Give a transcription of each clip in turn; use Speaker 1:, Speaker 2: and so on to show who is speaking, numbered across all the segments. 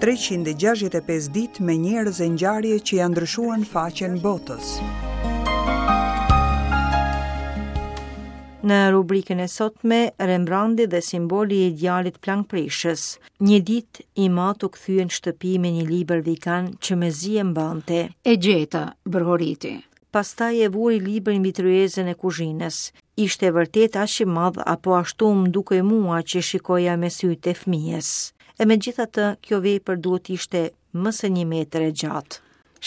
Speaker 1: 365 ditë me njerëz e ngjarje që ia ndryshuan faqen botës.
Speaker 2: Në rubrikën e sotme, Rembrandi dhe simboli i djalit plangprishës. Një ditë, im atë u kthye në shtëpi me një libër vigan që mezi e mbante.
Speaker 3: E gjeta, brohoriti.
Speaker 2: Pastaj e vuri librin mbi tryezën e kuzhinës. Ishte vërtet aq i madh apo ashtu më dukej mua që shikoja me sytë e fëmijës. E megjithatë, kjo vepër duhet të ishte më se një metër e
Speaker 3: gjatë.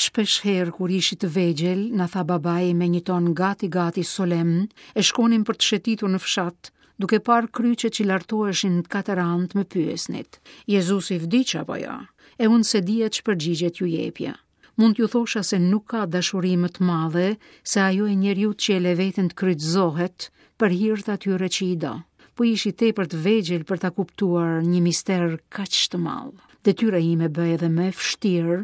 Speaker 3: Shpesh herë kur ishit të vegjël, na tha babai me një ton gati gati solemn, e shkonim për të shëtitur në fshat, duke parë kryqet që lartoheshin në katër anët më pyesnit. Jezusi vdiq apo jo? E unë s'e dija ç'përgjigje t'ju jepja. Mund t'ju thosha se nuk ka dashuri më të madhe se ajo e njeriut që e le veten të kryqëzohet për hir të atyre që i do. Po ishit tepër të vegjël për ta kuptuar një mister kaq të madh. Detyra ime bëhej edhe më e vështirë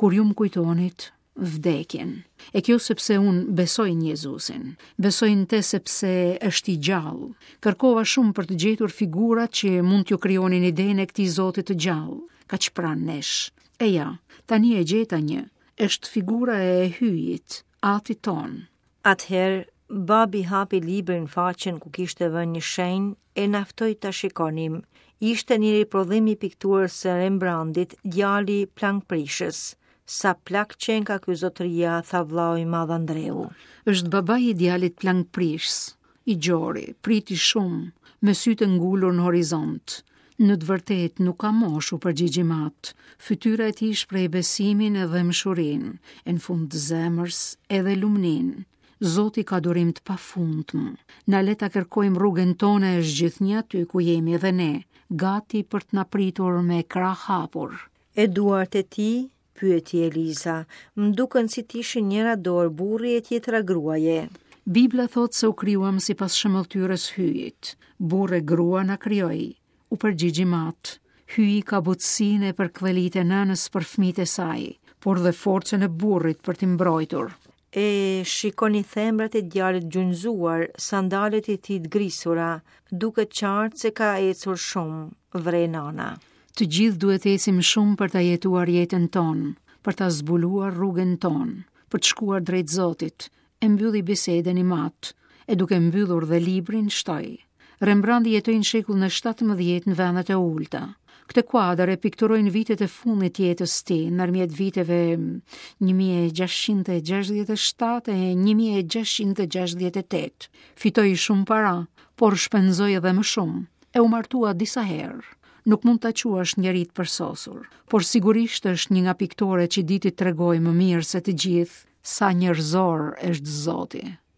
Speaker 3: kur ju më kujtonit vdekjen. E kjo sepse unë besoj në Jezusin. Besoj në te sepse është i gjallë. Kërkova shumë për të gjetur figurat që mund t'ju krijonin idenë e këtij Zoti të gjallë, kaq pranë nesh. E ja, tani e gjeta një, është figura e Hyjit, atit
Speaker 2: tonë. Atëherë, babi hapi librin faqen ku kishte vënë një shenjë e na ftoi ta shikonim. Ishte një riprodhim i pikturës së Rembrandit, djali plangprishës. Sa plak qenka ky zotëria, tha vllau i madh
Speaker 3: Andreu. Është babai i djalit plangprishës, I gjori, priti shumë, me sytë e ngulur në horizont. Në të vërtetë nuk ka moshë, u përgjigj im atë. Fytyra e tij shpreh besimin e dhembshurinë, e në fund të zemrës edhe lumninë. Zoti ka durim të pafundmë. Na le ta kërkojmë rrugën tonë e është gjithnjë aty ku jemi edhe ne, gati për të na pritur me krahë hapur.
Speaker 2: E duart e tij, Pyeti Eliza. Më duken si të ishin njëra dorë burri e tjetra
Speaker 3: gruaje. Bibla thotë se u krijuam sipas shëmbëlltyrës Hyjit. Burrë e grua na krijoi. U përgjigj im atë. Hyji ka butësinë e përkëdhelitë e nënës për fëmijët e saj, por dhe forcën e burrit për t'i mbrojtur.
Speaker 2: E shikoni thembrat e djalit gjunjëzuar, sandalet e tij të grisura, duket qartë se ka ecur shumë, vëren
Speaker 3: nana. Të gjithë duhet të ecim shumë për ta jetuar jetën tonë, për ta zbuluar rrugën tonë, për të shkuar drejt Zotit, e mbylli bisedën im atë, e duke mbyllur dhe librin shtoi. Rembrandi jetoi në shekullin e 17 në vendet e ulëta. Këtë kuadër e pikturoi në vitet e fundit të jetës së tij, ndërmjet viteve 1667 e 1668. Fitoi shumë para, por shpenzoi edhe më shumë, e u martua disa herë. Nuk mund ta quash njeri të përsosur, por sigurisht është një nga piktorët që di të tregojë më mirë se të gjithë sa njerëzor është Zoti.